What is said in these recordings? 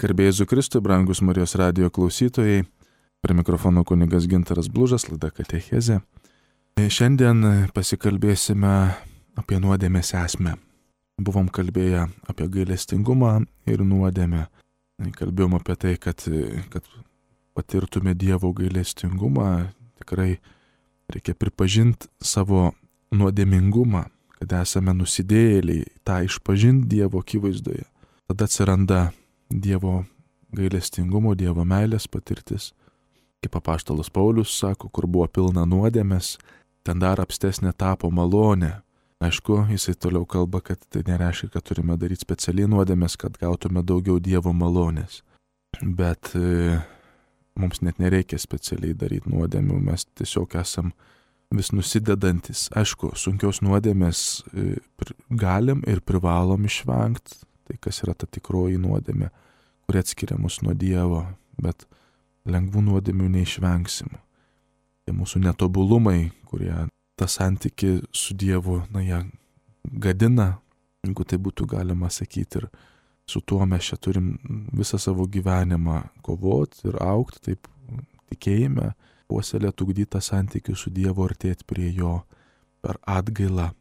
Garbė Jėzui Kristui, brangus Marijos radijo klausytojai, prie mikrofono kunigas Gintaras Blužas, laida Katechezė. Šiandien pasikalbėsime apie nuodėmės esmę. Buvom kalbėję apie gailestingumą ir nuodėmę. Kalbėjom apie tai, kad patirtume Dievo gailestingumą, tikrai reikia pripažinti savo nuodėmingumą, kad esame nusidėjėliai, tą išpažinti Dievo akivaizdoje. Tada atsiranda Dievo gailestingumo, Dievo meilės patirtis. Kaip apaštalas Paulius sako, kur buvo pilna nuodėmės, ten dar apstesnė tapo malonė. Aišku, jisai toliau kalba, kad tai nereiškia, kad turime daryti specialiai nuodėmės, kad gautume daugiau Dievo malonės. Bet mums net nereikia specialiai daryti nuodėmių, mes tiesiog esam vis nusidedantis. Aišku, sunkios nuodėmės galim ir privalom išvengti, tai kas yra ta tikroji nuodėmė, kuri atskiria mus nuo Dievo, bet lengvų nuodėmių neišvengsim. Tai mūsų netobulumai, kurie tą santykį su Dievu, jie gadina, jeigu tai būtų galima sakyti, ir su tuo mes čia turim visą savo gyvenimą kovoti ir augti, taip tikėjime, puoselėti, ugdyti tą santykį su Dievu, artėti prie Jo per atgailą.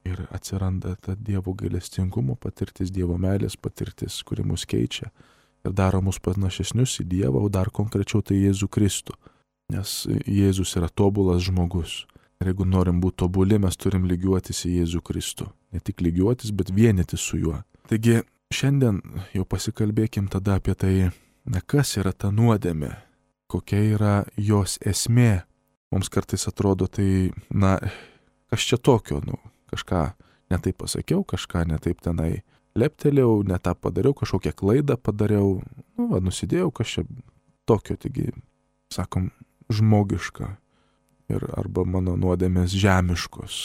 Ir atsiranda ta Dievo gailestingumo patirtis, Dievo meilės patirtis, kuri mus keičia ir daro mus panašesnius į Dievą, o dar konkrečiau tai Jėzų Kristų. Nes Jėzus yra tobulas žmogus. Ir jeigu norim būti tobuli, mes turim lygiuotis į Jėzų Kristų. Ne tik lygiuotis, bet vienytis su Juo. Taigi, šiandien jau pasikalbėkim tada apie tai, kas yra ta nuodėmė, kokia yra jos esmė. Mums kartais atrodo tai, kas čia tokio, kažką netaip pasakiau, kažką netaip tenai leptelėjau, ne tą padariau, kažkokią klaidą padariau, nusidėjau, kas čia tokio, taigi, sakom, žmogiška. Ir arba mano nuodėmės žemiškos,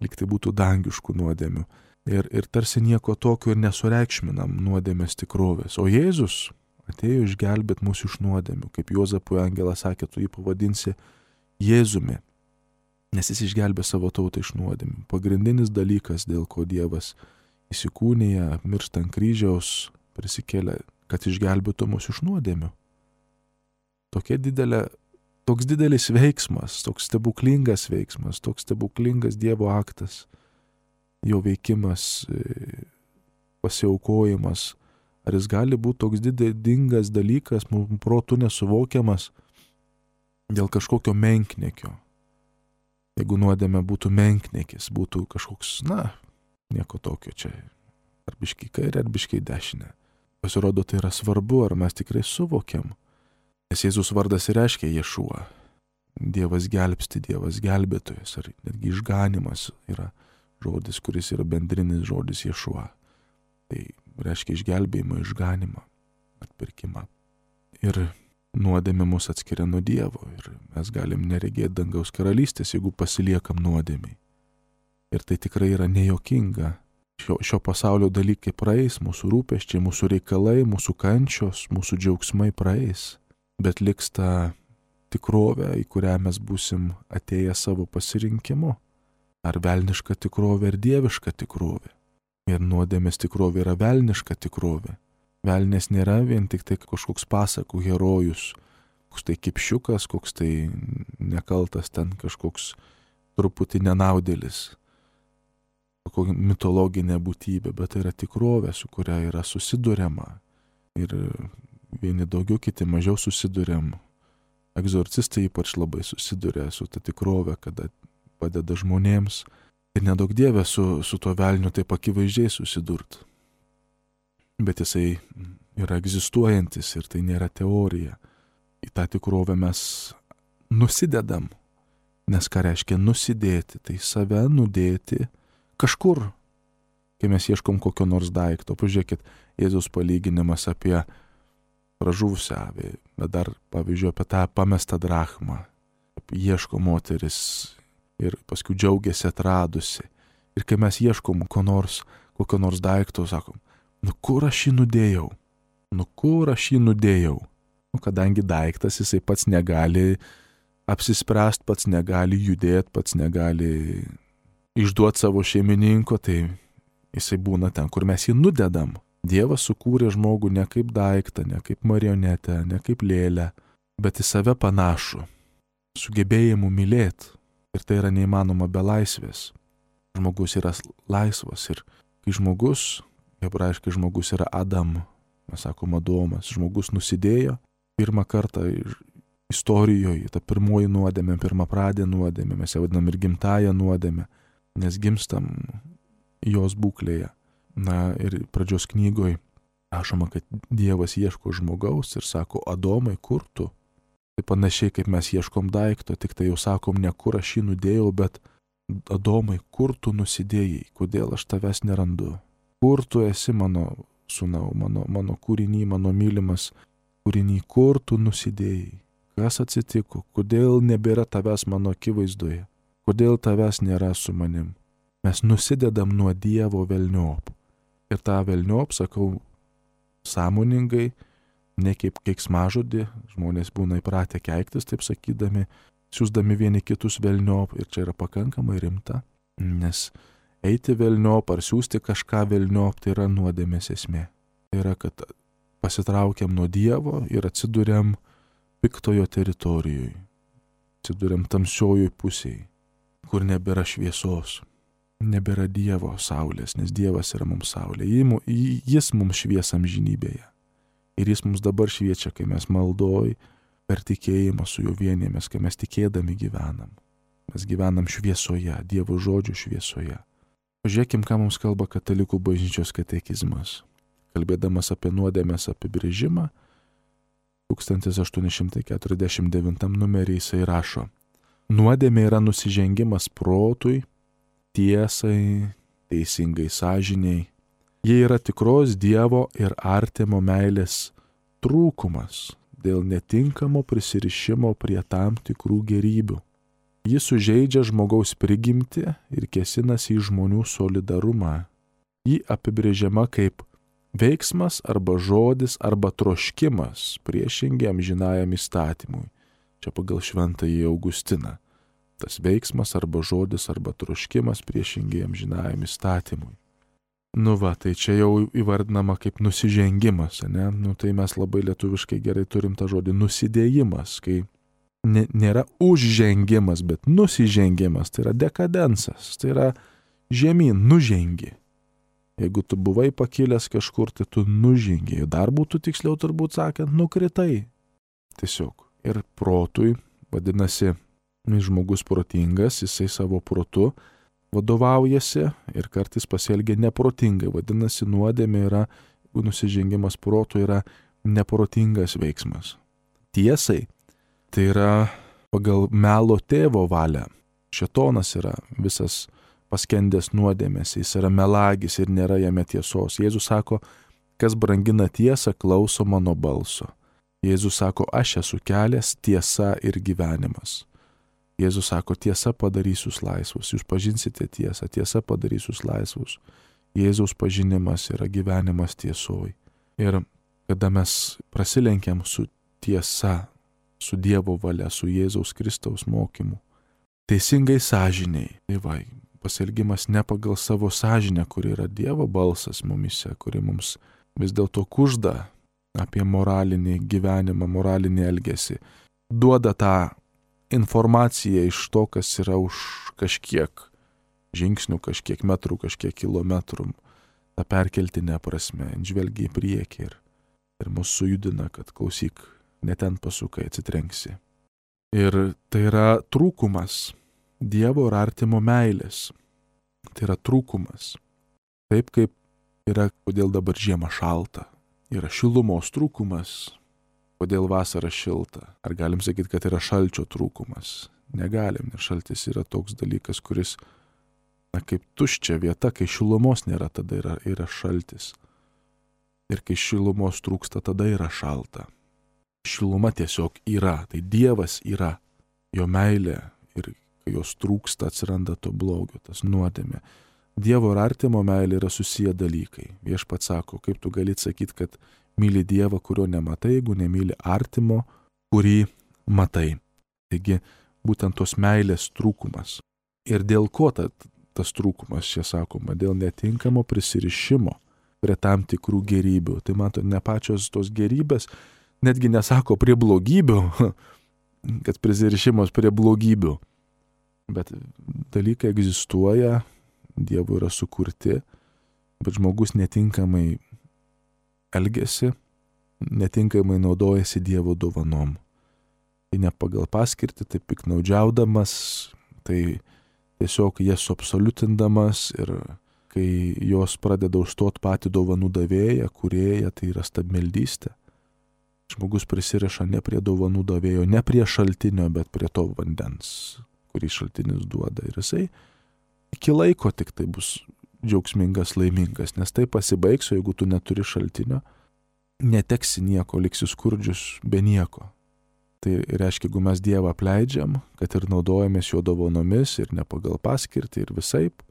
lyg tai būtų dangiškų nuodėmių. Ir tarsi nieko tokio ir nesureikšminam nuodėmės tikrovės. O Jėzus atėjo išgelbėti mūsų iš nuodėmių. Kaip Juozapui angelas sakė, tu jį pavadinsi Jėzumi, nes jis išgelbė savo tautą iš nuodėmių. Pagrindinis dalykas, dėl ko Dievas įsikūnija, miršta ant kryžiaus, prisikėlė, kad išgelbėtų mūsų iš nuodėmių. Toks didelis veiksmas, toks stebuklingas veiksmas, toks stebuklingas Dievo aktas, jo veikimas, pasiaukojimas. Ar jis gali būti toks didingas dalykas, mums protu nesuvokiamas dėl kažkokio menkniekio? Jeigu nuodėmė būtų menkniekis, būtų kažkoks, nieko tokio čia, ar biškai kairė, ar biškai dešinė. Pasirodo, tai yra svarbu, ar mes tikrai suvokiam. Nes Jėzus vardas ir reiškia Ješua. Dievas gelbsti, Dievas gelbėtojas, ar netgi išganimas yra žodis, kuris yra bendrinis žodis Ješua. Tai reiškia išgelbėjimą, išganimą, atpirkimą. Ir nuodėmė mus atskiria nuo Dievo ir mes galim neregėti dangaus karalystės, jeigu pasiliekam nuodėmiai. Ir tai tikrai yra nejuokinga. Šio pasaulio dalykai praeis, mūsų rūpesčiai, mūsų reikalai, mūsų kančios, mūsų džiaugsmai praeis. Bet liks ta tikrovė, į kurią mes būsim atėję savo pasirinkimu. Ar velniška tikrovė, ar dieviška tikrovė. Ir nuodėmės tikrovė yra velniška tikrovė. Velnės nėra vien tik tai kažkoks pasakų herojus, koks tai kipšiukas, koks tai nekaltas ten kažkoks truputį nenaudėlis, kokia mitologinė būtybė, bet tai yra tikrovė, su kuria yra susiduriama. Ir vieni daugiau, kiti mažiau susiduriam. Egzorcistai ypač labai susiduria su ta tikrovė, kada padeda žmonėms. Ir nedaug Dieve su tuo velniu taip akivaizdžiai susidurt. Bet jisai yra egzistuojantis ir tai nėra teorija. Į tą tikrovę mes nusidedam. Nes ką reiškia nusidėti? Tai save nudėti kažkur. Kai mes ieškom kokio nors daikto. Pažiūrėkit, Jėzaus palyginimas apie pražuvusią avį, bet dar, pavyzdžiui, apie tą pamestą drachmą. Ieško moteris ir paskui džiaugiasi atradusi. Ir kai mes ieškom kokio nors daikto, sakom, kur aš jį nudėjau? Kadangi daiktas, jisai pats negali apsispręsti, pats negali judėti, pats negali išduoti savo šeimininko, tai jisai būna ten, kur mes jį nudedam. Dievas sukūrė žmogų ne kaip daiktą, ne kaip marionetę, ne kaip lėlę, bet į save panašų, sugebėjimu mylėti. Ir tai yra neįmanoma be laisvės. Žmogus yra laisvas ir kai žmogus, hebrajiškai žmogus yra Adam, mes sakom Adomas, žmogus nusidėjo pirmą kartą istorijoje, ta pirmoji nuodėmė, pirmapradė nuodėmė, mes ją vadinam ir gimtąją nuodėmę, nes gimstam jos būklėje. Na ir pradžios knygoje rašoma, kad Dievas ieško žmogaus ir sako, Adomai, kur tu? Tai panašiai kaip mes ieškom daikto, tik tai jau sakom, ne kur aš jį nudėjau, bet Adomai, kur tu nusidėjai, kodėl aš tavęs nerandu? Kur tu esi mano sūnau, mano kūrinį, mano mylimas kūrinį, kur tu nusidėjai? Kas atsitiko? Kodėl nebėra tavęs mano akivaizdoje? Kodėl tavęs nėra su manim? Mes nusidedam nuo Dievo velniop. Ir tą velniop, sakau, sąmoningai, ne kaip keiksmažodį, žmonės būna įpratę keiktis, taip sakydami, siūsdami vieni kitus velniop, ir čia yra pakankamai rimta, nes eiti velniop ar siūsti kažką velniop, tai yra nuodėmės esmė. Tai yra, kad pasitraukiam nuo Dievo ir atsiduriam piktojo teritorijoje, atsiduriam tamsiojoj pusėje, kur nebėra šviesos. Nebėra Dievo saulės, nes Dievas yra mums saulė. Jis mums švies amžinybėje. Ir jis mums dabar šviečia, kai mes maldoj per tikėjimą su juo vienėmės, kai mes tikėdami gyvenam. Mes gyvenam šviesoje, Dievo žodžio šviesoje. Pažiūrėkim, ką mums kalba Katalikų bažnyčios katekizmas. Kalbėdamas apie nuodėmės apibrėžimą, 1849 numerį jisai rašo: nuodėmė yra nusižengimas protui, tiesai, teisingai sąžiniai. Jie yra tikros Dievo ir artimo meilės trūkumas dėl netinkamo prisirišimo prie tam tikrų gerybių. Jis sužeidžia žmogaus prigimtį ir kėsinasi į žmonių solidarumą. Ji apibrėžiama kaip veiksmas arba žodis arba troškimas priešingi amžinajam įstatymui. Čia pagal šventąjį Augustiną. Tas veiksmas arba žodis arba troškimas priešingai amžinajam įstatymui. Nu va, tai čia jau įvardinama kaip nusižengimas, ne? Nu tai mes labai lietuviškai gerai turim tą žodį nusidėjimas, kai nėra užžengimas, bet nusižengimas, tai yra dekadensas, tai yra žemyn, nužengi. Jeigu tu buvai pakilęs kažkur, tai tu nužengi, dar būtų tiksliau turbūt sakant, nukritai. Tiesiog. Ir protui, vadinasi, žmogus protingas, jisai savo protu vadovaujasi ir kartais pasielgia neprotingai. Vadinasi, nuodėmė yra, nusižengimas protu yra neprotingas veiksmas. Tiesai, tai yra pagal melo tėvo valią. Šėtonas yra visas paskendęs nuodėmės, jis yra melagis ir nėra jame tiesos. Jėzus sako, kas brangina tiesą, klauso mano balso. Jėzus sako, aš esu kelias, tiesa ir gyvenimas. Jėzus sako, tiesa padarys jūs laisvus, jūs pažinsite tiesą, tiesa padarys jūs laisvus. Jėzaus pažinimas yra gyvenimas tiesoj. Ir kada mes prasilenkiam su tiesa, su Dievo valia, su Jėzaus Kristaus mokymu, teisingai sąžiniai, tai va, pasielgimas ne pagal savo sąžinę, kuri yra Dievo balsas mumise, kuri mums vis dėlto kužda apie moralinį gyvenimą, moralinį elgesį, duoda tą informacija iš to, kas yra už kažkiek žingsnių, kažkiek metrų, kažkiek kilometrų, tą perkeltinę prasme, žvelgia į priekį ir mus sujudina, kad klausyk, ne ten pasukai, atsitrenksi. Ir tai yra trūkumas Dievo ir artimo meilės. Tai yra trūkumas. Taip kaip yra, kodėl dabar žiema šalta. Yra šilumos trūkumas. Kodėl vasara šilta? Ar galim sakyti, kad yra šalčio trūkumas? Negalim, nes šaltis yra toks dalykas, kuris, kaip tuščia vieta, kai šilumos nėra, tada yra šaltis. Ir kai šilumos trūksta, tada yra šalta. Šiluma tiesiog yra, tai Dievas yra, jo meilė ir kai jos trūksta, atsiranda to blogio, tas nuodėmė. Dievo ir artimo meilė yra susiję dalykai. Viešpats sako, kaip tu gali sakyti, kad myli Dievą, kurio nematai, jeigu nemyli artimo, kurį matai. Taigi, būtent tos meilės trūkumas. Ir dėl ko tas trūkumas, čia sakoma, dėl netinkamo prisirišimo prie tam tikrų gerybių. Tai mato, ne pačios tos gerybės, netgi nesako prie blogybių, kad prisirišimas prie blogybių. Bet dalykai egzistuoja, Dievo yra sukurti, bet žmogus netinkamai elgesi, netinkamai naudojasi Dievo dovanom. Tai ne pagal paskirtį, tai piknaudžiaudamas, tai tiesiog jas suabsoliutindamas ir kai jos pradeda užstot patį dovanų davėją, kūrėją, tai yra stabmeldystė. Žmogus prisiriša ne prie dovanų davėjo, ne prie šaltinio, bet prie to vandens, kurį šaltinis duoda. Ir jisai iki laiko tik tai bus džiaugsmingas, laimingas, nes tai pasibaigs, o jeigu tu neturi šaltinio, neteksi nieko, liksi skurdžius be nieko. Tai reiškia, jeigu mes Dievą apleidžiam, kad ir naudojamės jo dovanomis ir ne pagal paskirtį ir visaip,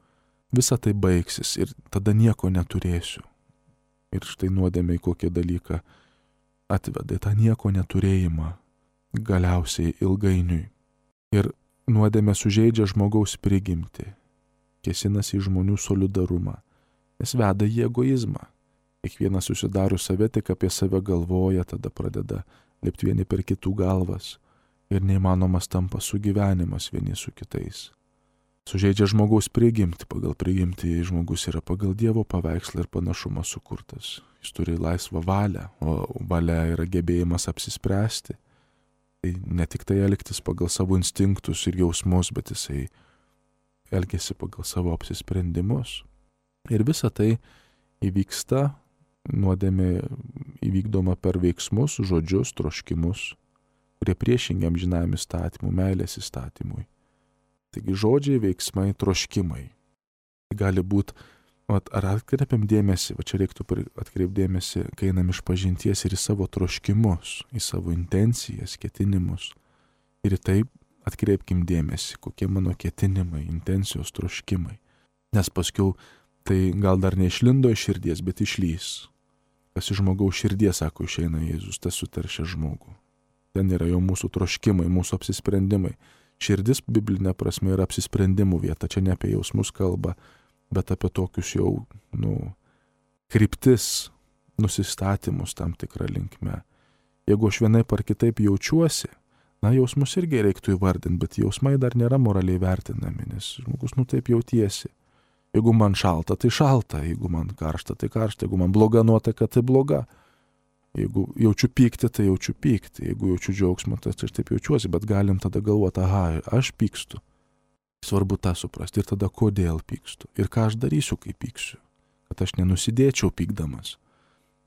visa tai baigsis ir tada nieko neturėsiu. Ir štai nuodėmė į kokį dalyką atveda tą nieko neturėjimą galiausiai ilgainiui. Ir nuodėmė sužeidžia žmogaus prigimtį, kėsinasi į žmonių solidarumą, nes veda į egoizmą. Kiekvienas susidaro save, tik apie save galvoja, tada pradeda lipti vieni per kitų galvas ir neįmanomas tampa sugyvenimas vieni su kitais. Sužeidžia žmogaus prigimtį, pagal prigimtį žmogus yra pagal Dievo paveikslą ir panašumą sukurtas. Jis turi laisvą valią, o valia yra gebėjimas apsispręsti. Tai ne tik tai elgtis pagal savo instinktus ir jausmus, bet jisai elgiasi pagal savo apsisprendimus. Ir visa tai įvyksta, nuodėmė įvykdoma per veiksmus, žodžius, troškimus, kurie priešingi amžinajam įstatymui, meilės įstatymui. Taigi žodžiai, veiksmai, troškimai. Gali būti, ar atkreipiam dėmesį, čia reiktų atkreipdėmėsi, kai einam iš pažinties ir į savo troškimus, į savo intencijas, ketinimus. Ir į tai atkreipkim dėmesį, kokie mano ketinimai, intencijos, troškimai. Nes paskiau tai gal dar neišlindo iš širdies, bet išlys. Kas iš žmogaus širdies, sako, išeina Jėzus, tas suteršia žmogų. Ten yra jau mūsų troškimai, mūsų apsisprendimai. Širdis biblinė prasme yra apsisprendimų vieta, čia ne apie jausmus kalba, bet apie tokius jau, kryptis, nusistatymus tam tikrą linkme. Jeigu aš vienaip ar kitaip jaučiuosi, jausmus irgi reiktų įvardinti, bet jausmai dar nėra moraliai vertinami, nes žmogus taip jautiesi. Jeigu man šalta, tai šalta, jeigu man karšta, tai karšta, jeigu man bloga nuotaika, tai bloga. Jeigu jaučiu pyktį, tai jaučiu pyktį, jeigu jaučiu džiaugsmą, tai aš taip jaučiuosi, bet galim tada galvoti, aš pykstu. Svarbu tą suprasti ir tada kodėl pykstu ir ką aš darysiu, kai pyksiu, kad aš nenusidėčiau pykdamas.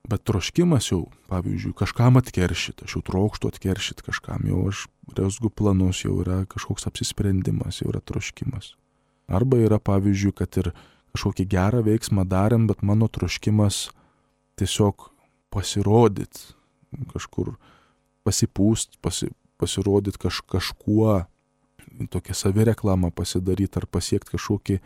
Bet troškimas jau, pavyzdžiui, kažkam atkeršyti, aš jau trokštu atkeršyti kažkam, jau aš rezgu planus, jau yra kažkoks apsisprendimas, jau yra troškimas. Arba yra, pavyzdžiui, kad ir kažkokį gerą veiksmą darėm, bet mano troškimas tiesiog pasirodyti, kažkur pasipūst, pasirodyti kažkuo, tokią savireklamą pasidaryti ar pasiekti kažkokį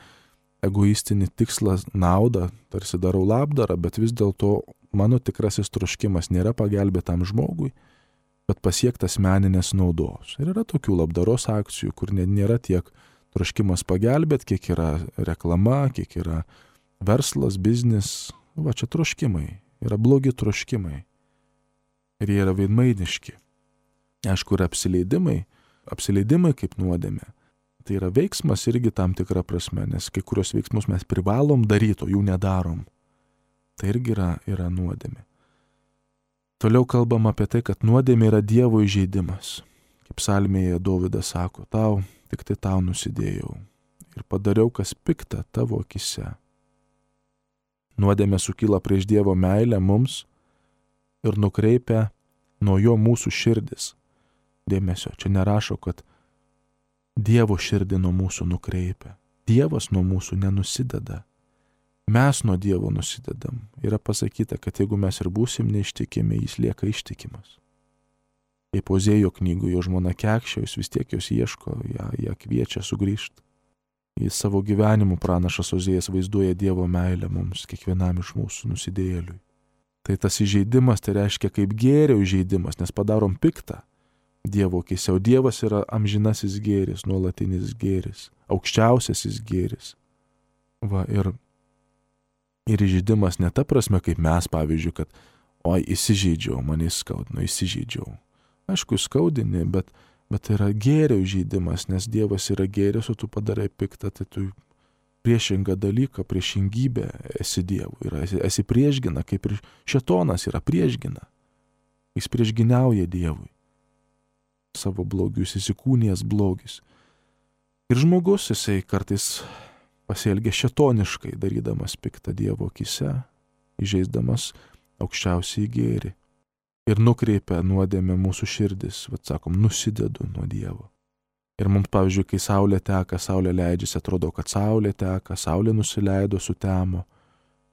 egoistinį tikslą, naudą, tarsi darau labdarą, bet vis dėlto mano tikrasis troškimas nėra pagelbėtam žmogui, bet pasiekti asmeninės naudos. Ir yra tokių labdaros akcijų, kur nėra tiek troškimas pagelbėti, kiek yra reklama, kiek yra verslas, biznis. Čia troškimai, yra blogi troškimai. Ir jie yra veidmainiški. Aišku, yra apsileidimai kaip nuodėmė. Tai yra veiksmas irgi tam tikra prasme, nes kai kurios veiksmus mes privalom daryti, o jų nedarom. Tai irgi yra nuodėmė. Toliau kalbam apie tai, kad nuodėmė yra Dievo įžeidimas. Kaip psalmėje Dovydas sako, tik tai tau nusidėjau ir padariau, kas pikta tavo akise. Nuodėmė sukyla prieš Dievo meilę mums ir nukreipia nuo jo mūsų širdis. Dėmesio, čia nerašo, kad Dievo širdį nuo mūsų nukreipia. Dievas nuo mūsų nenusideda. Mes nuo Dievo nusidedam. Yra pasakyta, kad jeigu mes ir būsim neištikimi, jis lieka ištikimas. Kaip Ozėjo knygoje jo žmona kekščia, jis vis tiek jos ieško, ją kviečia sugrįžti. Į savo gyvenimų pranašas Ozėjas vaizduoja Dievo meilę mums, kiekvienam iš mūsų nusidėjėliui. Tai tas įžeidimas, tai reiškia kaip gėrio įžeidimas, nes padarom piktą Dievo akise, o Dievas yra amžinasis gėris, nuolatinis gėris, aukščiausiasis gėris. Ir Ir įžeidimas ne ta prasme, kaip mes, pavyzdžiui, kad oi, įsižeidžiau, mane įskaudino, įsižeidžiau. Aišku, skaudini, bet tai yra gėrio įžeidimas, nes Dievas yra gėris, o tu padarai piktą, tai tu priešingą dalyką, priešingybę esi Dievui. Esi priešgina, kaip ir šėtonas yra priešgina. Jis priešginiauja Dievui. Savo blogius įsikūnijęs blogis. Ir žmogus, jisai kartais pasielgia šėtoniškai, darydamas piktą Dievo akise, įžeisdamas aukščiausiai gėrį. Ir nukreipia nuodėmę mūsų širdis, sakom, nusidedu nuo Dievo. Ir mums, pavyzdžiui, kai saulė teka, saulė leidžiasi, atrodo, kad saulė teka, saulė nusileido, sutemo.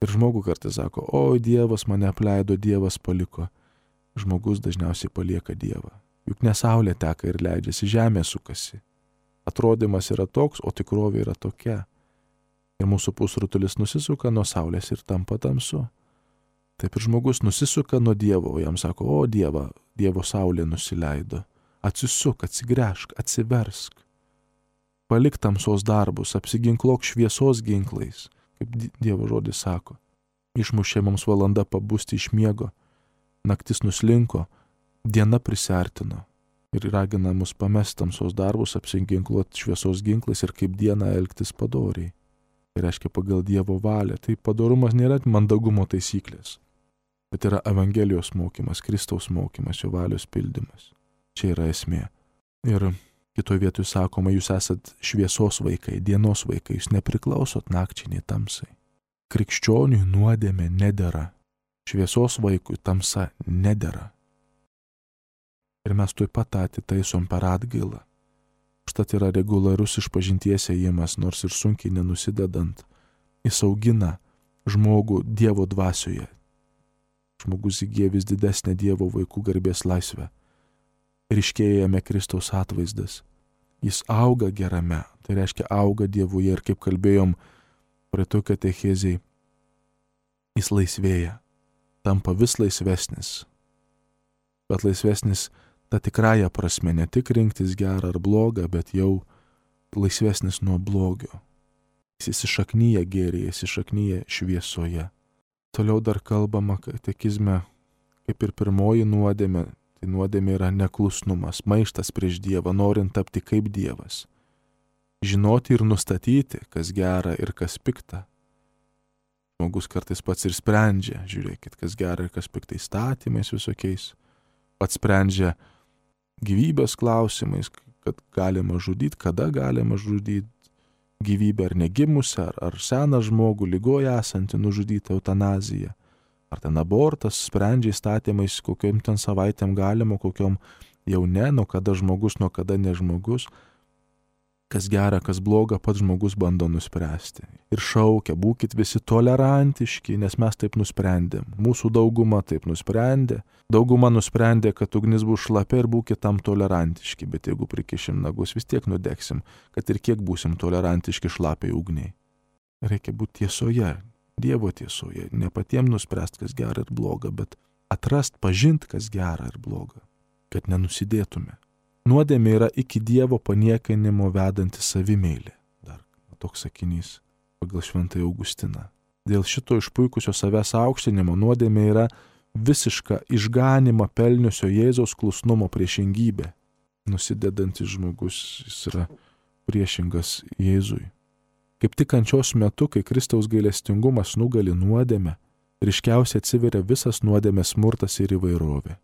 Ir žmogus kartais sako, oi, Dievas mane apleido, Dievas paliko. Žmogus dažniausiai palieka Dievą. Juk ne saulė teka ir leidžiasi, žemė sukasi. Atrodymas yra toks, o tikrovė yra tokia. Ir mūsų pusrutulis nusisuka nuo saulės ir tampa tamsu. Taip ir žmogus nusisuka nuo Dievo, o jam sako, o Dievo saulė nusileido. Atsisuk, atsigręžk, atsiversk. Palik tamsos darbus, apsiginklok šviesos ginklais, kaip Dievo žodis sako. Išmušė mums valanda pabusti iš miego, naktis nuslinko, diena prisiartino ir ragina mus pamest tamsos darbus, apsiginkluoti šviesos ginklais ir kaip dieną elgtis padoriai. Tai reiškia pagal Dievo valią. Tai padorumas nėra mandagumo taisyklės, bet yra Evangelijos mokymas, Kristaus mokymas, jo valios pildymas. Čia yra esmė. Ir kitoje vietoje sakoma, jūs esat šviesos vaikai, dienos vaikai, jūs nepriklausot nakčiai nei tamsai. Krikščioniui nuodėmė nedera. Šviesos vaikui tamsa nedera. Ir mes tuoj pat atitaisom per atgailą. Užtat yra reguliarus išpažinties ėjimas, nors ir sunkiai nenusidedant. Jis augina žmogų Dievo dvasioje. Žmogus įgyja vis didesnę Dievo vaikų garbės laisvę. Ryškėja jame Kristaus atvaizdas. Jis auga gerame, tai reiškia auga Dievuje ir kaip kalbėjom praeitoj katechezėj, jis laisvėja, tampa vis laisvesnis. Bet laisvesnis ta tikrąja prasme, ne tik rinktis gerą ar blogą, bet jau laisvesnis nuo blogio. Jis įsišaknyja gėryje, įsišaknyja šviesoje. Toliau dar kalbama katekizme, kaip ir pirmoji nuodėmė, tai nuodėmė yra neklusnumas, maištas prieš Dievą, norint tapti kaip Dievas. Žinoti ir nustatyti, kas gera ir kas pikta. Žmogus kartais pats ir sprendžia, žiūrėkit, kas gera ir kas pikta įstatymais visokiais. Pats sprendžia gyvybės klausimais, kad galima žudyti, kada galima žudyti gyvybę ar negimusią, ar seną žmogų, ligoje esantį nužudyti, eutanazija. Ar ten abortas, sprendžia įstatymais, kokiom ten savaitėm galima, kokiom jau ne, nuo kada žmogus, nuo kada ne žmogus. Kas gera, kas bloga, pats žmogus bando nuspręsti. Ir šaukia, būkit visi tolerantiški, nes mes taip nusprendėm. Mūsų dauguma taip nusprendė. Dauguma nusprendė, kad ugnis bus šlapia ir būkit tam tolerantiški, bet jeigu prikišim nagus, vis tiek nudegsim, kad ir kiek būsim tolerantiški šlapiai ugniai. Reikia būti tiesoje, Dievo tiesoje, ne patiem nuspręst, kas gera ir bloga, bet atrast, pažint, kas gera ir bloga, kad nenusidėtume. Nuodėmė yra iki Dievo paniekinimo vedanti savimeilė. Dar toks sakinys pagal Šventąjį Augustiną. Dėl šito išpuikusio savęs aukštinimo nuodėmė yra visiška išganimą pelniusio Jėzaus klusnumo priešingybė. Nusidedantis žmogus, jis yra priešingas Jėzui. Kaip tik kančios metu, kai Kristaus gailestingumas nugali nuodėmę, ryškiausiai atsiveria visas nuodėmės smurtas ir įvairovė.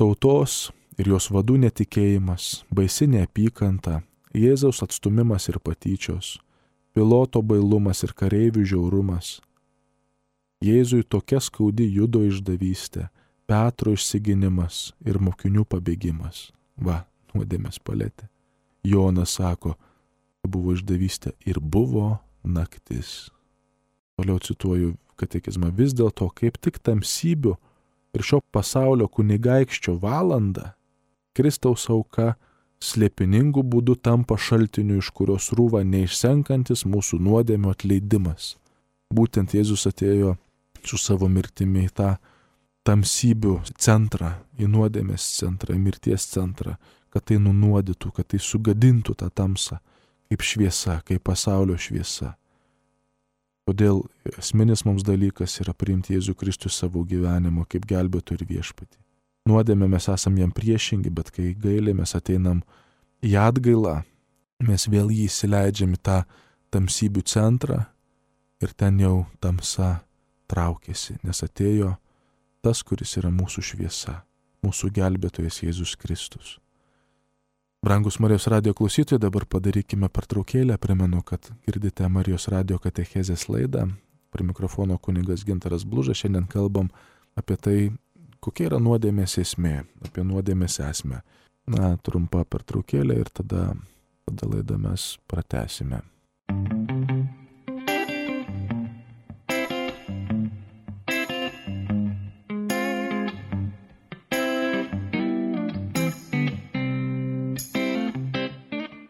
Tautos ir jos vadų netikėjimas, baisi neapykanta, Jėzaus atstumimas ir patyčios, Piloto bailumas ir kareivių žiaurumas. Jėzui tokia skaudi Judo išdavystė, Petro išsiginimas ir mokinių pabėgimas. Va, nuodėmės paletė. Jonas sako, buvo išdavystė ir buvo naktis. Toliau cituoju katekizmą, vis dėlto kaip tik tamsybių ir šio pasaulio kunigaikščio valanda Kristaus auka slėpiningų būdų tampa šaltiniu, iš kurios rūva neišsenkantis mūsų nuodėmio atleidimas. Būtent Jėzus atėjo su savo mirtimi į tą tamsybių centrą, į nuodėmės centrą, į mirties centrą, kad tai nunuodytų, kad tai sugadintų tą tamsą, kaip šviesa, kaip pasaulio šviesa. Todėl esminis mums dalykas yra priimti Jėzų Kristų savo gyvenimo kaip gelbėtoją ir viešpatį. Nuodėmė mes esam jam priešingi, bet kai gailėmės ateinam į atgailą, mes vėl jį įsileidžiam į tą tamsybių centrą ir ten jau tamsa traukiasi, nes atėjo tas, kuris yra mūsų šviesa, mūsų gelbėtojas Jėzus Kristus. Brangus Marijos radijo klausytojai, dabar padarykime pertraukėlę. Primenu, kad girdite Marijos radijo katechezės laidą. Prie mikrofono kunigas Gintaras Blužas. Šiandien kalbam apie tai, kokia yra nuodėmės esmė, apie nuodėmės esmę. Trumpa pertraukėlė ir tada laidą mes pratęsime.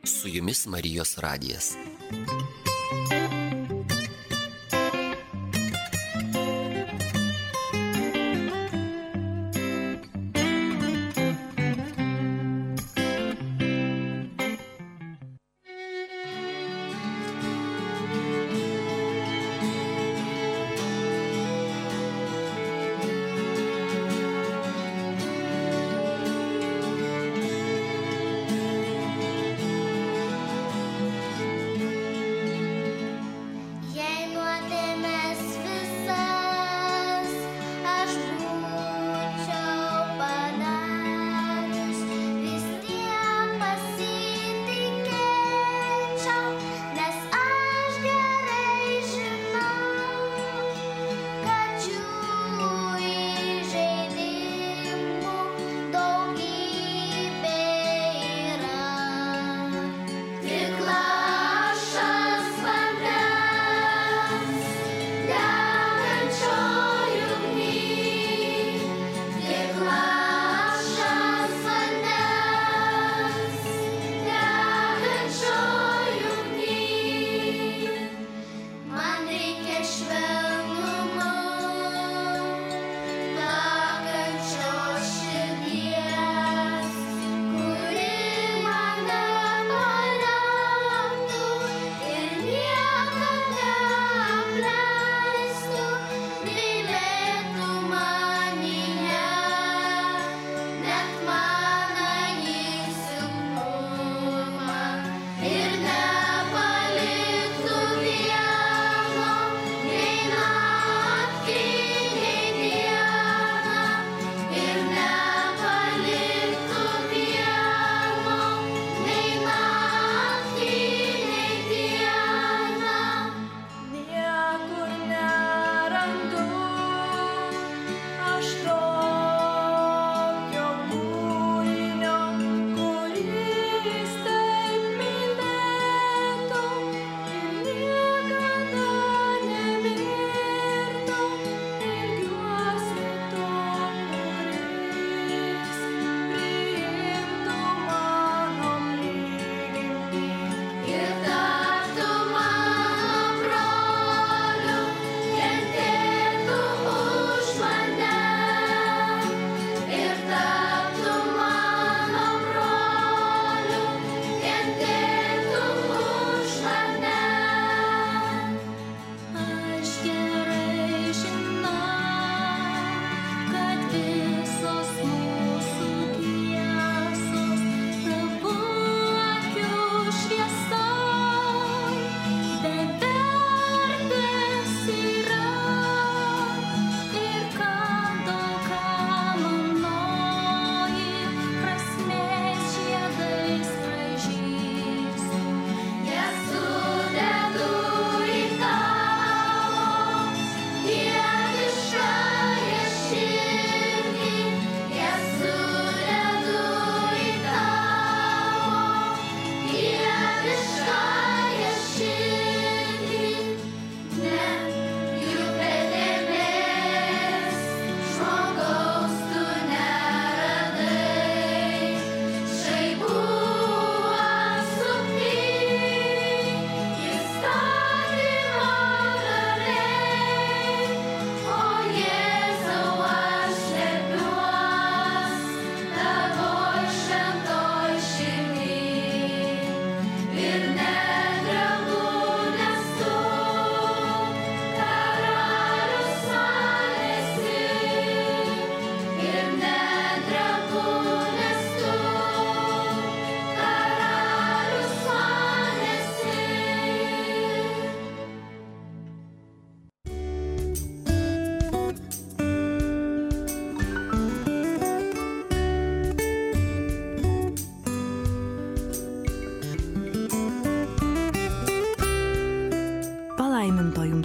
Su jumis Marijos radijas.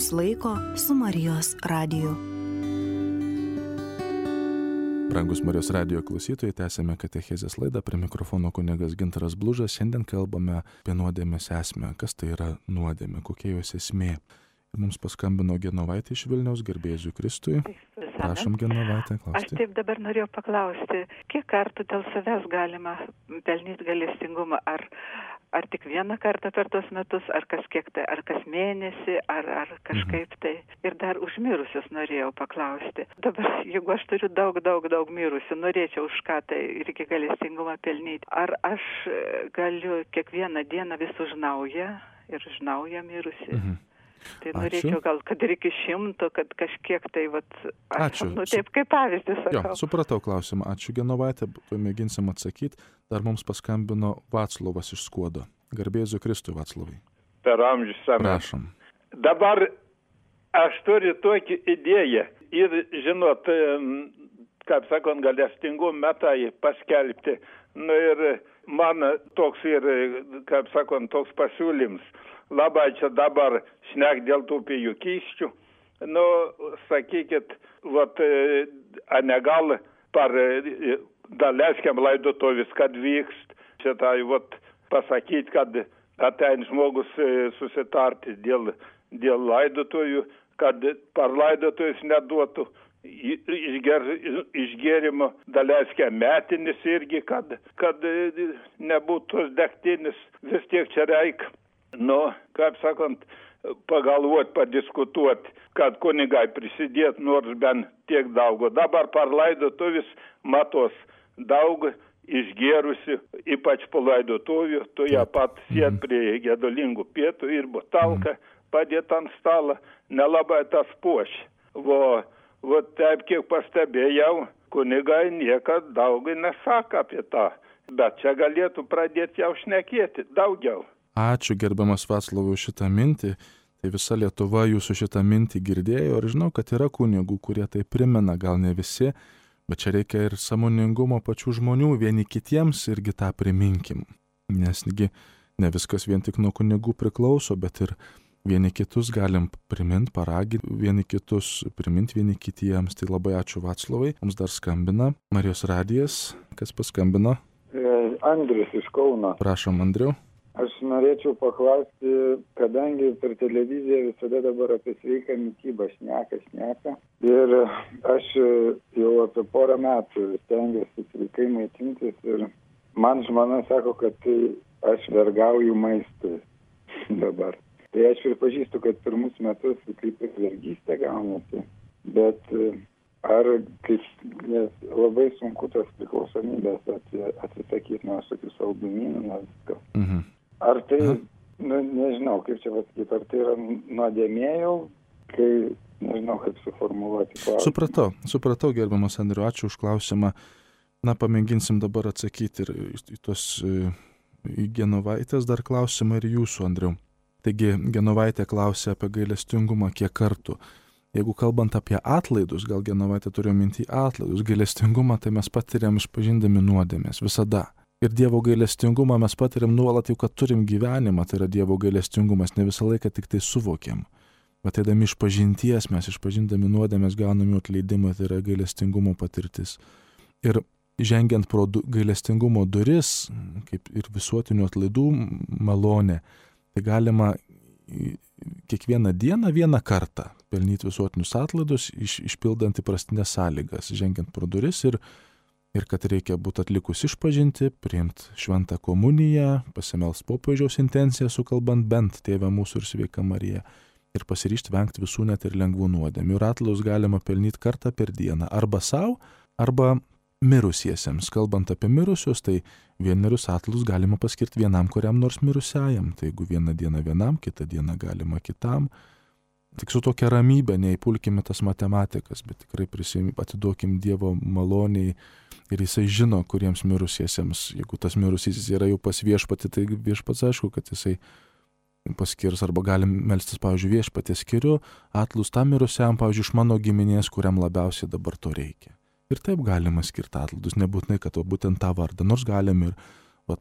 valandos laiko su Marijos radiju. Brangus Marijos radijo klausytojai, tęsėme katechezės laidą, prie mikrofono kunigas Gintaras Blužas. Šiandien kalbame apie nuodėmės esmę. Kas tai yra nuodėmė, kokia jos esmė. Ir mums paskambino Genovaitė iš Vilniaus, garbė Jėzui Kristui. Prašom, Genovaitė, klausti. Aš taip dabar norėjau paklausti, kiek kartų dėl savęs galima pelnyti gailestingumą? Ar tik vieną kartą per tuos metus, ar kas kiek tai, ar kas mėnesį, ar kažkaip tai. Ir dar už mirusius norėjau paklausti. Dabar, jeigu aš turiu daug mirusių, norėčiau už ką tai irgi gailestingumą pelnyti. Ar aš galiu kiekvieną dieną vis už naują ir už naują mirusį? Tai norėčiau gal, kad ir iki 100, kad kažkiek tai, Ačiū. Taip kaip pavyzdį sakau. Jo, supratau klausimą. Ačiū, Genovaitė, mėginsim atsakyti. Dar mums paskambino Vaclovas iš Skuodo. Garbė Jėzui Kristui, Vaclovai. Per amžius seną. Prašom. Dabar aš turiu tokį idėją ir, žinot, kaip sakant, gailestingumo metai paskelbti. Ir man toks ir, kaip sakant, toks pasiūlyms. Labai čia dabar šnek dėl tų pijukysčių. Sakykit, negal par daleskiam laidotovis, kad vykst. Šitai, pasakyti, kad atein žmogus susitarti dėl laidotojų, kad par laidotojus neduotų išgėrimo daleskiam metinis irgi, kad nebūtų tos degtinis. Vis tiek čia reikia. Kaip sakant, pagalvoti, padiskutuoti, kad kunigai prisidėtų nors bent tiek daug. Dabar par laidotuvis matos daug išgėrusi, ypač po laidotuvių, tu ją pat sėd prie gedulingų pietų ir butalką padėt ant stalą, nelabai tas puošia. Taip kiek pastebėjau, kunigai niekad daug nesako apie tą, bet čia galėtų pradėti jau šnekėti daugiau. Ačiū, gerbiamas Vaclovai, už šitą mintį. Tai visa Lietuva jūsų šitą mintį girdėjo ir žinau, kad yra kunigų, kurie tai primena, gal ne visi, bet čia reikia ir sąmoningumo pačių žmonių, vieni kitiems irgi tą priminkim. Nesgi ne viskas vien tik nuo kunigų priklauso, bet ir vieni kitus galim priminti, paraginti, vieni kitus priminti vieni kitiems. Tai labai ačiū, Vaclovai. Mums dar skambina Marijos radijas. Kas paskambino? Andrius iš Kauno. Prašom, Andriau. Aš norėčiau paklausti, kadangi per televiziją visada dabar apie sveiką mitybą šneka. Ir aš jau apie porą metų stengiuosi sveikai maitintis ir man žmona sako, kad aš vergauju maistui dabar. Tai aš pripažįstu, kad pirmus metus kaip ir vergystė gaunasi, bet nes labai sunku tas priklausomybės atsisakyti nuo tokių saldumynų, nuo visko. Ar tai, nežinau, kaip čia pasakyti, ar tai yra nuodėmė jau, kai nežinau, kaip suformuluoti klausimą. Supratau, gerbiamas Andriu, ačiū už klausimą. Pamėginsim dabar atsakyti ir į tos Genovaitės dar klausimą ir jūsų, Andriu. Taigi, Genovaitė klausė apie gailestingumą kiek kartų. Jeigu kalbant apie atlaidus, gal Genovaitė turėjo minti atlaidus, gailestingumą tai mes patiriam išpažindami nuodėmės visada. Ir Dievo gailestingumą mes patiriam nuolat jau, kad turim gyvenimą, tai yra Dievo gailestingumas, ne visą laiką tik tai suvokiam. Bet eidami išpažinties, mes išpažindami nuodėmės gauname atleidimą, tai yra gailestingumo patirtis. Ir žengiant pro gailestingumo duris, kaip ir visuotinių atlaidų malonė, tai galima kiekvieną dieną vieną kartą pelnyti visuotinius atlaidus, išpildant įprastinės sąlygas, žengiant pro duris ir kad reikia būti atlikus išpažinti, priimti šventą komuniją, pasimelst popiežiaus intenciją sukalbant bent Tėvę mūsų ir Sveiką Mariją ir pasiryžti vengti visų net ir lengvų nuodėmių. Ir atlaidus galima pelnyti kartą per dieną, arba savo, arba mirusiesiems. Kalbant apie mirusius, tai vienerius atlaidus galima paskirti vienam kuriam nors mirusiajam. Tai jeigu vieną dieną vienam, kitą dieną galima kitam. Tik su tokia ramybė, neįpulkime tas matematikas, bet tikrai atiduokim Dievo maloniai ir jisai žino, kuriems mirusiesiems, jeigu tas mirusysis yra jau pas viešpatį, tai viešpats aišku, kad jisai paskirs, arba galim melstis, pavyzdžiui, viešpatį skiriu atlaidus tam mirusiam, pavyzdžiui, iš mano giminės, kuriam labiausiai dabar to reikia. Ir taip galima skirti atlaidus, nebūtinai, kad būtent tą vardą, nors galim ir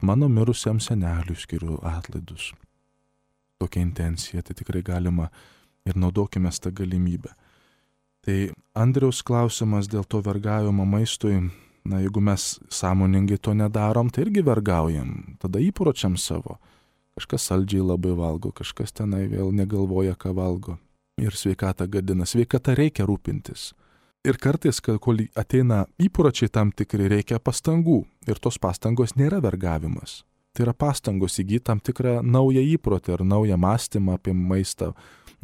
mano mirusiam seneliui skiriu atlaidus. Tokia intencija, tai tikrai galima ir naudokime tą galimybę. Tai Andriaus klausimas dėl to vergavimo maistui, na, jeigu mes sąmoningai to nedarom, tai irgi vergaujam, tada įpročiam savo. Kažkas saldžiai labai valgo, kažkas tenai vėl negalvoja, ką valgo. Ir sveikatą gadina. Sveikata reikia rūpintis. Ir kartais, kol ateina įpročiai tam tikri, reikia pastangų. Ir tos pastangos nėra vergavimas. Tai yra pastangos įgyti tam tikrą naują įprotį ar naują mąstymą apie maistą,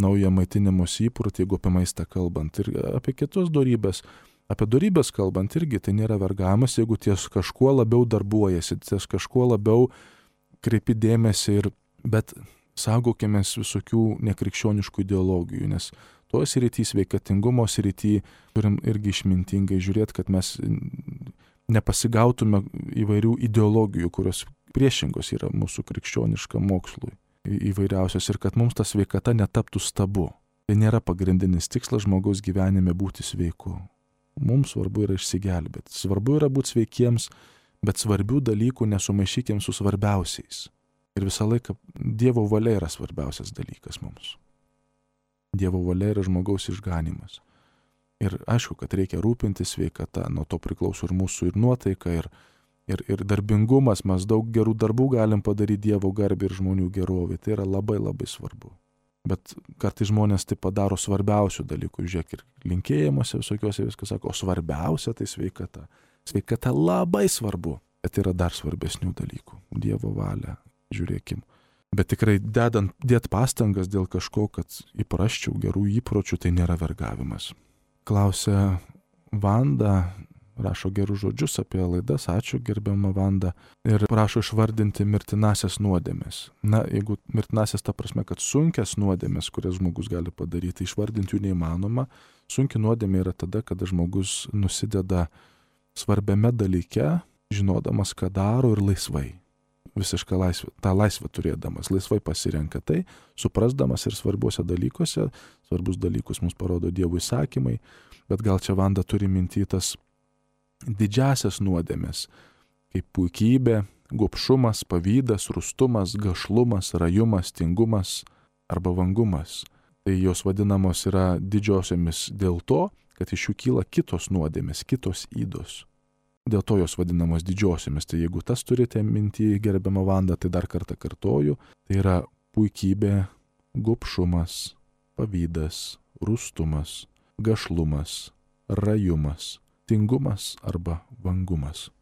naują maitinimos įprotį, jeigu apie maistą kalbant. Ir apie kitus dorybės. Apie dorybės kalbant irgi tai nėra vergavimas, jeigu ties kažkuo labiau darbuojasi, ties kažkuo labiau kreipi dėmesį, bet saugokimės visokių nekrikščioniškų ideologijų, nes toje srity, sveikatingumo srity, turim irgi išmintingai žiūrėti, kad mes nepasigautume įvairių ideologijų, kurios priešingos yra mūsų krikščioniškam mokslui įvairiausios ir kad mums ta sveikata netaptų stabu. Tai nėra pagrindinis tikslas žmogaus gyvenime būti sveiku. Mums svarbu yra išsigelbėti. Svarbu yra būti sveikiems, bet svarbių dalykų nesumaišykim su svarbiausiais. Ir visą laiką Dievo valia yra svarbiausias dalykas mums. Dievo valia yra žmogaus išganimas. Ir aišku, kad reikia rūpintis sveikata, nuo to priklauso ir mūsų ir nuotaika, ir darbingumas, mes daug gerų darbų galim padaryti Dievo garbį ir žmonių gerovį. Tai yra labai labai svarbu. Bet kartais žmonės tai padaro svarbiausių dalykų. Žiūrėk, ir linkėjimuose visokiuose viskas sako, o svarbiausia tai sveikata. Sveikata labai svarbu, bet yra dar svarbesnių dalykų. Dievo valia, žiūrėkim. Bet tikrai dėt pastangas dėl kažko, kad įprasčiau gerų įpročių, tai nėra vergavimas. Klausia Vanda, rašo gerus žodžius apie laidas, ačiū gerbiama Vanda, ir prašo išvardinti mirtinasias nuodėmes. Na, jeigu mirtinasias ta prasme, kad sunkias nuodėmes, kurias žmogus gali padaryti, išvardinti jų neįmanoma. Sunki nuodėmė yra tada, kada žmogus nusideda svarbiame dalyke, žinodamas, ką daro ir laisvai. Visišką laisvę, tą laisvę turėdamas, laisvai pasirenka tai, suprasdamas ir svarbiuose dalykuose, svarbus dalykus mums parodo Dievo įsakymai, bet gal čia Vanda turi minty tas didžiasias nuodėmes, kaip puikybė, gobšumas, pavydas, rūstumas, gašlumas, rajumas, tingumas arba vangumas. Tai jos vadinamos yra didžiosiomis dėl to, kad iš jų kyla kitos nuodėmės, kitos ydos. Dėl to jos vadinamos didžiosiomis. Tai jeigu tas turite minty, gerbiama Vanda, tai dar kartą kartoju, tai yra puikybė, gobšumas, pavydas, rūstumas, gašlumas, rajumas, tingumas arba vangumas.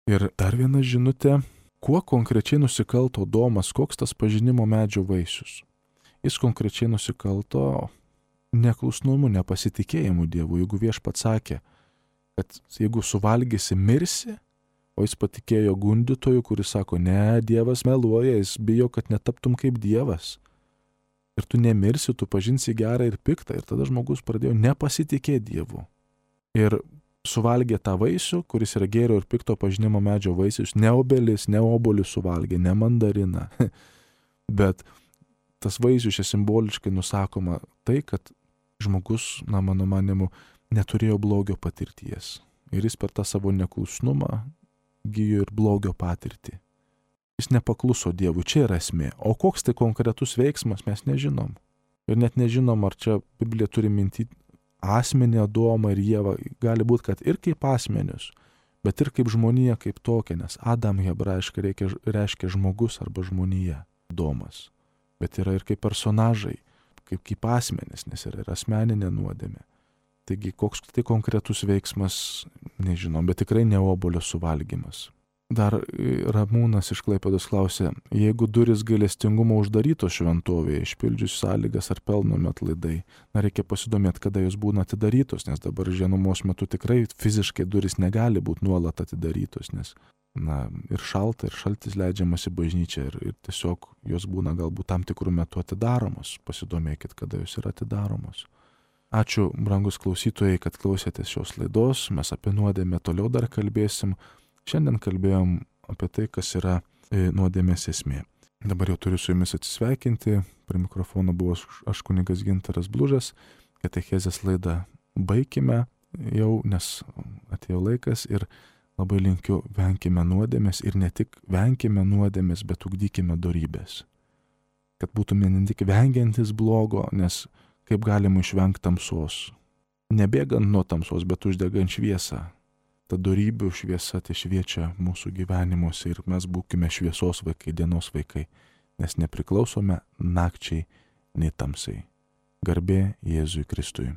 Ir dar viena žinutė, kuo konkrečiai nusikalto Domas, koks tas pažinimo medžio vaisius? Jis konkrečiai nusikalto neklusnumu, nepasitikėjimu Dievu. Jeigu Viešpats sakė, kad jeigu suvalgysi, mirsi, o jis patikėjo gundytojui, kuris sako, ne, Dievas meluoja, jis bijo, kad netaptum kaip Dievas. Ir tu nemirsi, tu pažinsi gerą ir piktą. Ir tada žmogus pradėjo nepasitikėti Dievu. Ir suvalgė tą vaisių, kuris yra gėrio ir pikto pažinimo medžio vaisius, ne obelis, ne obuolius suvalgė, ne mandariną. Bet tas vaisius čia simboliškai nusakoma tai, kad žmogus, na, mano manimu, neturėjo blogio patirties. Ir jis per tą savo neklusnumą gijo ir blogio patirtį. Jis nepakluso Dievui, čia yra esmė. O koks tai konkretus veiksmas, mes nežinom. Ir net nežinom, ar čia Biblija turi minty asmenį Adomą ir Ievą. Gali būti, kad ir kaip asmenius, bet ir kaip žmonija kaip tokia, nes Adam hebrajiškai reiškia žmogus arba žmonija, Adomas. Bet yra ir kaip personažai, kaip asmenis, nes yra ir asmeninė nuodėmė. Taigi, koks tai konkretus veiksmas, nežinom, bet tikrai ne obuolio suvalgymas. Dar Ramūnas iš Klaipėdos klausė, jeigu duris gailestingumo uždarytos šventovėje, išpildžius sąlygas ar pelnomi atlaidai, na, reikia pasidomėti, kada jos būna atidarytos, nes dabar žiemos metu tikrai fiziškai duris negali būti nuolat atidarytos, nes, na, ir šalta, ir šaltis leidžiamas į bažnyčią ir tiesiog jos būna galbūt tam tikrų metų atidaromos. Pasidomėkit, kada jos yra atidaromos. Ačiū, brangus klausytojai, kad klausėtės šios laidos. Mes apie nuodėmę toliau dar kalbėsim. Šiandien kalbėjom apie tai, kas yra nuodėmės esmė. Dabar jau turiu su jumis atsisveikinti. Prie mikrofono buvo aš kunigas Gintaras Blužas. Katechezės laidą baikime jau, nes atėjo laikas ir labai linkiu venkime nuodėmės ir ne tik venkime nuodėmės, bet ugdykime dorybės. Kad būtume ne tik vengiantis blogo, nes kaip galima išvengti tamsos. Nebėgant nuo tamsos, bet uždegant šviesą. Ta dorybių šviesa tai šviečia mūsų gyvenimuose ir mes būkime šviesos vaikai, dienos vaikai, nes nepriklausome nakčiai nei tamsai. Garbė Jėzui Kristui.